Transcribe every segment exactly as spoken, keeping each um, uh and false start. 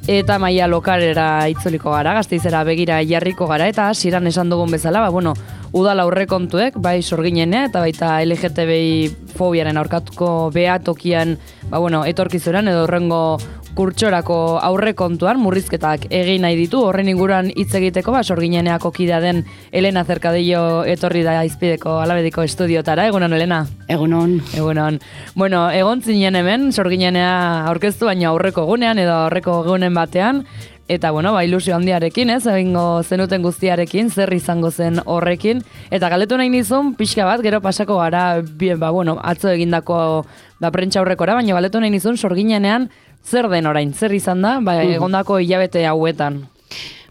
eta maila lokalera itzuliko gara, Gasteizera begira jarriko gara, eta hasieran esan dugun bezala, ba, bueno, udal aurrekontuek, bai sorginenea, eta baita L G T B I fobiaren aurkatuko behatokian, ba, bueno, etorkizuran edo horrengo kurtsorako aurrekontuan murrizketak egin nahi ditu, horren inguruan hitz egiteko, ba, sorgineneako kidea den Elena Cercadillo etorri da Izpideko Alabediko estudiotara. Egunon, Elena? Egunon. Egunon. Bueno, egon zinen hemen, sorginenea aurkeztu, baina aurreko egunean edo aurreko egunen batean, eta, bueno, ba, ilusio handiarekin, ez, egingo zenuten guztiarekin, zer izango zen horrekin, eta galdetu nahi nizun, pixka bat, gero pasako gara, bien, ba, bueno, atzo egindako da prentsa aurrekora, baina galdetu nahi nizun, sorginenean, zer den orain, zer izan da, ba, egondako hilabete hauetan?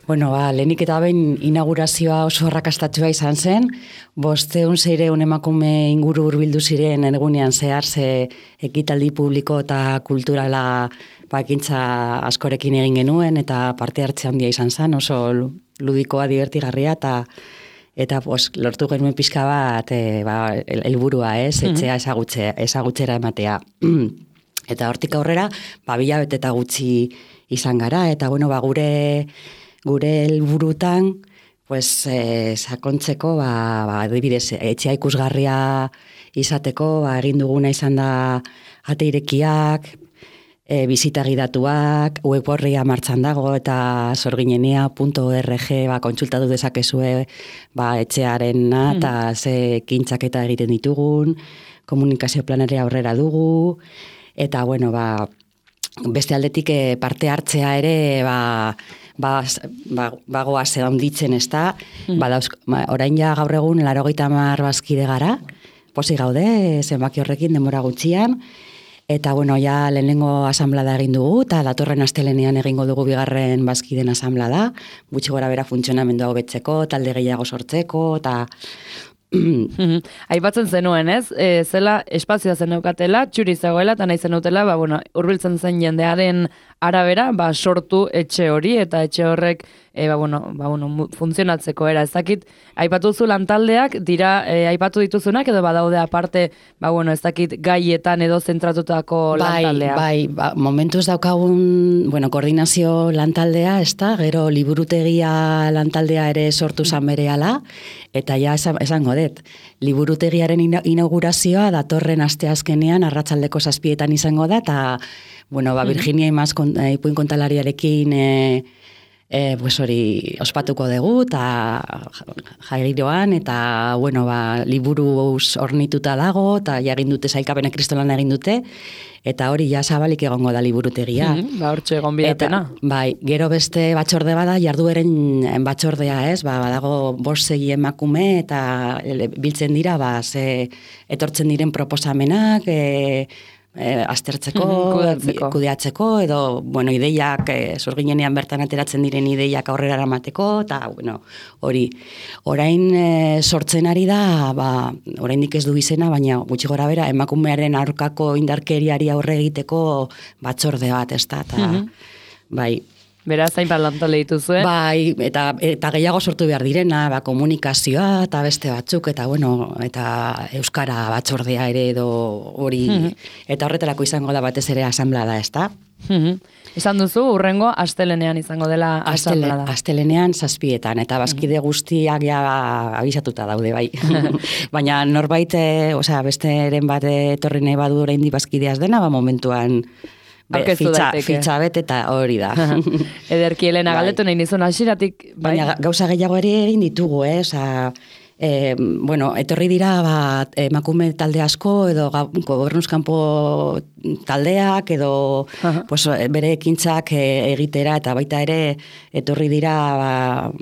Bueno, ba, lehenik eta behin inaugurazioa oso arrakastatua izan zen, bosteun zeireun emakume inguru hurbildu ziren egunean zehar ze ekitaldi publiko eta kulturala bakintza askorekin egin genuen, eta parte hartze handia izan zen, oso ludikoa, divertigarria, eta eta pues, lortu genuen pixka bat e, ba, helburua, ez, etxea ezagutze, ezagutzera ematea. Eta hortik aurrera, ba, bilabete eta gutxi izan gara, eta bueno, ba, gure gure helburutan, pues, eh, sakontzeko, ba, ba, adibidez, etxea ikusgarria izateko, ba, egin duguna izan da ate irekiak, e, bizita gidatuak, web horria martxan dago, eta sorginenea punto org ba, kontsultatu dezakezue ba, etxearena, eta ze kintzaketa egiten ditugun, komunikazio planarea aurrera dugu, eta, bueno, ba, beste aldetik parte hartzea ere, ba, ba, ba, bagoa ze handitzen ez da, mm. ba, dauz, ba, orain ja gaur egun laurogeita hamar bazkide gara, posi gaude, zenbaki horrekin denbora gutxian, eta, bueno, ja lehenengo asamblada egin dugu, eta datorren astelenean egingo dugu bigarren bazkiden asamblada, gutxi gora bera funtzionamendua hobetzeko, talde gehiago sortzeko, eta aipatzen zenuen, ez? E, zela espazioa zeneukatela, txuri zegoela, eta nahi zenutela, ba, bueno, hurbiltzen zen jendearen arabera, ba, sortu etxe hori, eta etxe horrek, e, ba, bueno, ba, bueno, funtzionatzeko era. Ez dakit, aipatu zu lantaldeak, dira, e, aipatu dituzunak, edo badaude aparte, ba, bueno, ez dakit gaietan edo zentratutako bai, lantaldea. Bai, ba, momentuz daukagun, bueno, koordinazio lantaldea, ez da, gero liburutegia lantaldea ere sortu zan berehala, eta ja esan, esango dut, liburutegiaren inaugurazioa datorren asteazkenean arratsaldeko zazpietan izango da, eta, bueno, ba, Virginia Imaz eh, ipuin kontalariarekin eh, eh, pues hori ospatuko dugu, eta jairoan, eta, bueno, ba, liburuz ornituta dago, eta jagin dute sailkapena kristolan egin dute, eta hori ja zabalik egongo da liburutegia. Mm, ba, hortxe egon bidetena. Bai, gero beste batzorde bada, jardueren batzordea, ez, ba, badago bost sei emakume, eta biltzen dira, ba, ze etortzen diren proposamenak, e, e, aztertzeko, kudeatzeko. kudeatzeko, edo, bueno, ideiak, e, sorginenean bertan ateratzen diren ideiak aurrera eramateko, eta, bueno, hori, orain e, sortzen ari da, ba, oraindik ez du izena, baina gutxi gora bera, emakumearen aurkako indarkeriari aurre egiteko batzorde bat, ez da, eta, bai, Beraz, hainbat lantale dituzue. Bai, eta, eta gehiago sortu behar direna, ba, komunikazioa eta beste batzuk, eta bueno, eta euskara batzordea ere edo hori, eta horretarako izango da batez ere asamblada, ez da? Esan duzu, urrengo astelenean izango dela asamblada. Astelenean zazpietan, eta bazkide guztiak ja abisatuta daude, bai. Baina norbait, osea, besteren bat etorri nahi badu oraindik bazkideaz dena, ba momentuan Be, fitxa, fitxa bet eta hori da. Ederki, Elena, galdetu nahi nizun hasieratik. Bai? Baina gauza gehiago ere egin ditugu, eh? Osa, e, bueno, etorri dira ba, emakume talde asko, edo gobernuzkanpo taldeak, edo pues, bere ekintzak egitera, eta baita ere etorri dira ba,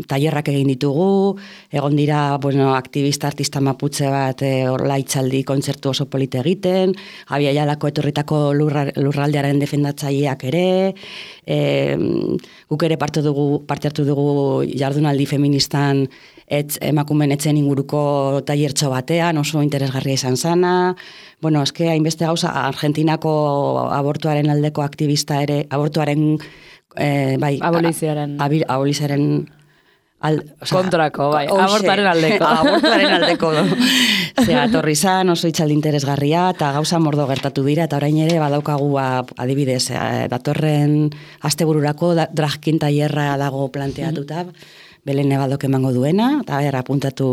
tailerrak egin ditugu, egon dira bueno, aktivista artista maputze bat horla itzaldi kontzertu oso polite egiten, Abia Jalako etorritako lurra, lurraldearen defendatzaileak ere, e, guk ere parte, dugu, parte hartu dugu jardunaldi feministan etz, emakumen etzen inguruko tailertxo batean, oso interesgarria izan zana, bueno, eske hainbeste gauza, Argentinako abortuaren aldeko aktivista ere, abortuaren, eh, bai, aboliziaren, aboliziaren Al, oza, kontrako, bai, abortaren aldeko. Abortaren aldeko. Zea, torri zan, oso itxaldi interesgarria, eta gauza mordo gertatu dira, eta orain ere badaukagu adibidez, datorren astebururako dragkin tailerra dago planteatuta, mm-hmm. Belene badok emango duena, eta ber, apuntatu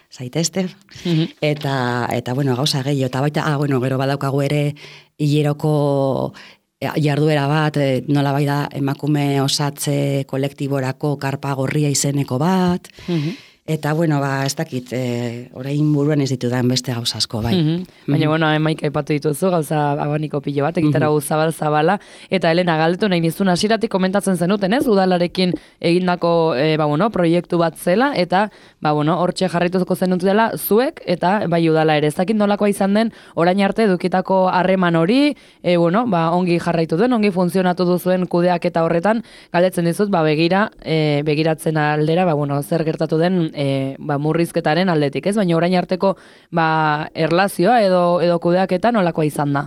zaitezte, mm-hmm. eta, eta, bueno, gauza gehiago, eta baita, ah, bueno, gero badaukagu ere hileroko jarduera bat, nola bai da emakume osatze kolektiborako karpa gorria izeneko bat, mm-hmm. Eta, bueno, ba, ez dakit, e, orain buruan ez ditudan beste gauza asko, bai. Mm-hmm. Baina, mm-hmm. bueno, emaik aipatu dituzu, gauza abaniko pilo bat, egitara mm-hmm. zabal-zabala, eta Elena, galdetu nahi nizun hasieratik komentatzen zenuten, ez? Udalarekin egindako, e, ba, bueno, proiektu bat zela, eta, ba, bueno, hortxe jarrituko zenutela zuek, eta, bai, udala ere. Ez dakit nolakoa izan den, orain arte edukitako harreman hori, e, bueno, ba, ongi jarraitu duen, ongi funtzionatu duzuen kudeak eta horretan, galdetzen dizut, ba, begira, e, begiratzen aldera, ba, bueno, zer gertatu den, E, ba, murrizketaren aldetik, ez? Baina orain arteko ba, erlazioa edo, edo kudeaketa nolakoa izan da?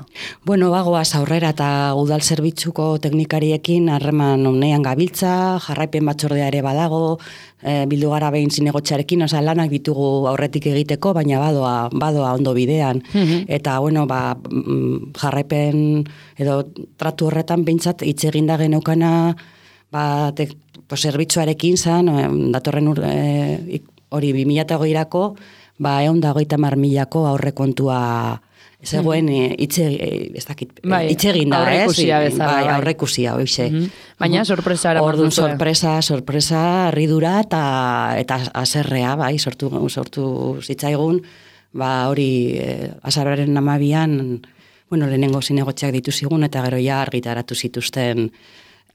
Bueno, bagoaz aurrera eta udal zerbitzuko teknikariekin harreman onean gabiltza, jarraipen batzordea ere badago, e, bildu gara behin zinegotxarekin, oza, lanak ditugu aurretik egiteko, baina badoa, badoa ondo bidean. Mm-hmm. Eta, bueno, ba, jarraipen edo tratu horretan behintzat hitz eginda geneukana ba, te, pues, zerbitzuarekin zan, datorren ur, e, hori bi mila eta hogeirako, ba, egun da hogeita mar milako aurrekontua zegoen itxegin da, aurrekusia bezala. Bai, aurrekusia, hoxe. Mm-hmm. Baina sorpresa era Orduan sorpresa, sorpresa, ridura eta eta haserrea, bai, sortu, sortu zitzaigun, ba, hori eh, azararen amabian, bueno, lehenengo zinegotxeak dituzigun, eta gero ja argitaratu zituzten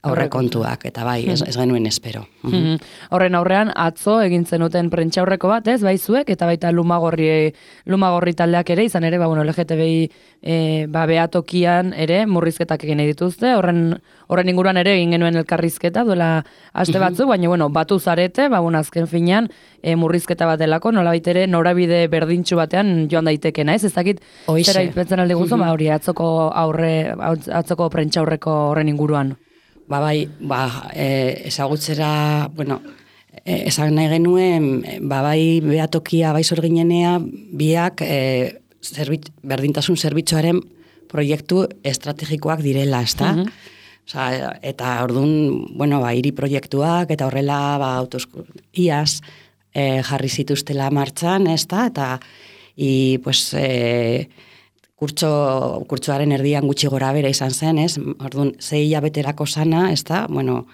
aurrekontuak, eta bai, ez, ez genuen espero. Mm-hmm. Horren aurrean, atzo egin zenuten prentxaurreko bat, ez, bai zuek, eta baita lumagorri, lumagorri taldeak ere, izan ere, ba, bueno, L G T B I e, ba, behatokian ere, murrizketak egin dituzte, horren, horren inguruan ere egin genuen elkarrizketa, duela aste batzu, mm-hmm. baina, bueno, batu zarete, ba, bueno, azken finean, e, murrizketa bat delako, nolabait ere, norabide berdintxu batean joan daitekena, ez, ez dakit, zera ipetzen alde guzu, mm-hmm. ba, hori, atzoko aurre, atzoko prentxaurreko horren inguruan. Ba, bai, ba, e, ezagutzera, bueno, e, esan nahi genuen, ba, bai, behatokia, bai zorginenea, biak e, zerbit, berdintasun zerbitzuaren proiektu estrategikoak direla, ezta? Mm-hmm. Osa, eta orduan, bueno, ba, hiri proiektuak, eta horrela, ba, autosku, iaz, e, jarri zituztela martxan, ezta? Eta, i, pues, e, Kurtso, kurtsoaren erdian gutxi gora bera izan zen, ez? Orduan, zei hilabeterako sana, ez da? Bueno,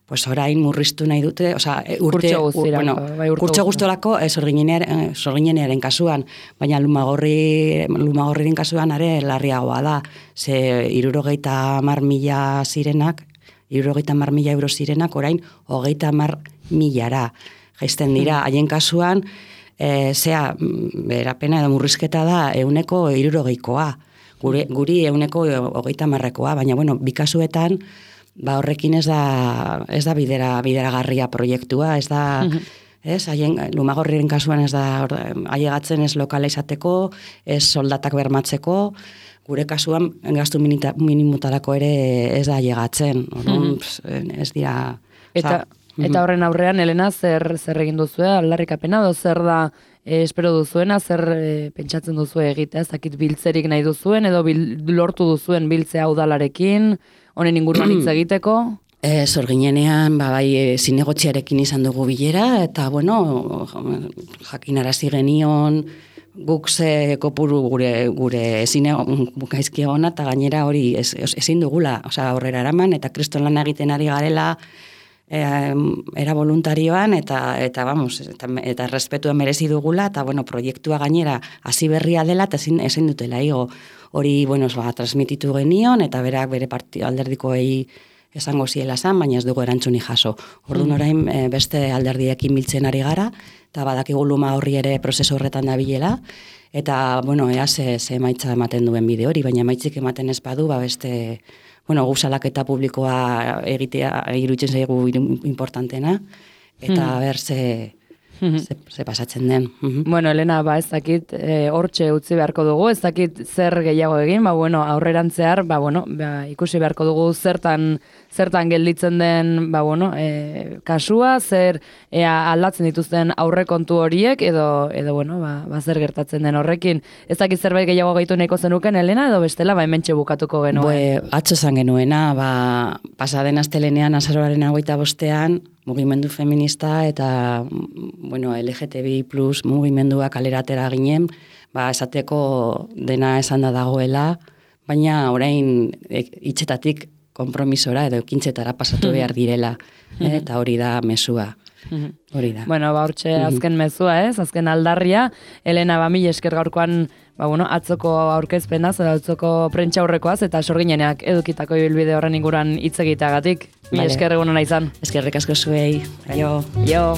pues orain murriztu nahi dute, osea, urte, kurtso guztirako, bueno, bai, kurtso guztorako, eh, zorginenearen kasuan, baina lumagorri, lumagorriren kasuan are larriagoa da, ze hirurogeita hamar mila zirenak, hirurogeita hamar mila euro zirenak, orain, hogeita hamar milara jaisten dira, haien kasuan, E, zea, berapena edo murrizketa da euneko hirurogeikoa, guri, guri euneko hogeita marrekoa, baina, bueno, bikasuetan, ba, horrekin ez da, ez da bidera, bideragarria proiektua, ez da, mm-hmm. ez, haien, lumagorriren kasuan ez da, haiegatzen ez lokala izateko, ez soldatak bermatzeko, gure kasuan, gastu minimutarako ere ez da haiegatzen, mm-hmm. ez dira, eta, Eta horren aurrean, Elena, zer, zer egin duzu, aldarrikapena, do zer da e, espero duzuena, zer e, pentsatzen duzu egitea, ez dakit biltzerik nahi duzuen, edo bil, lortu duzuen biltzea udalarekin, honen inguruan hitz egiteko? E, zorginenean, ba, bai, e, zinegotziarekin izan dugu bilera, eta, bueno, jakinarazi genion, guk ze kopuru gure, gure zine gaizki egona, eta gainera hori ez, ezin dugula, osea, aurrera eraman, eta kriston lan egiten ari garela, E, era voluntarioan eta eta vamos eta, eta respetua merezi dugula eta bueno proiektua gainera hasi berria dela eta ezin ezin dutela igo hori bueno ba transmititu genion eta berak bere partio alderdikoei esango ziela san baina ez dugu erantzuni jaso. Orduan orain e, beste alderdiekin biltzen ari gara eta badakigu luma horri ere prozesu horretan dabilela eta bueno ea ze ze emaitza ematen duen bide hori baina emaitzik ematen ez badu ba beste bueno, guzalaketa publikoa egitea iruditzen zaigu importantena, eta mm. ber, ze, ze, ze pasatzen den. Bueno, Elena, ba, ez dakit, e, hortxe utzi beharko dugu, ez dakit zer gehiago egin, ba, bueno, aurrerantzear, ba, bueno, ba, ikusi beharko dugu zertan, zertan gelditzen den, ba, bueno, e, kasua, zer ea aldatzen dituzten aurrekontu horiek, edo, edo bueno, ba, ba, zer gertatzen den horrekin. Ez dakit zerbait gehiago gehitu nahiko zenuken, Elena, edo bestela, ba, hementxe bukatuko genuen. Bue, atzo zan genuena, ba, pasaden astelenean, azaroaren hogeita bostean, mugimendu feminista eta, bueno, L G T B I plus mugimendua kaleratera ginen, ba, esateko dena esan da dagoela, baina orain hitzetatik konpromisora edo ekintzetara pasatu behar direla, eh, eta hori da mezua. Hori da. Bueno, ba, hortxe azken mezua, ez? Azken aldarria. Elena, ba, mil esker gaurkoan, ba, bueno, atzoko aurkezpenaz, edo atzoko prentsa aurrekoaz, eta sorginenak edukitako ibilbide horren inguruan hitz egiteagatik. Mil esker egun ona izan. Eskerrik asko zuei. Jo. Jo.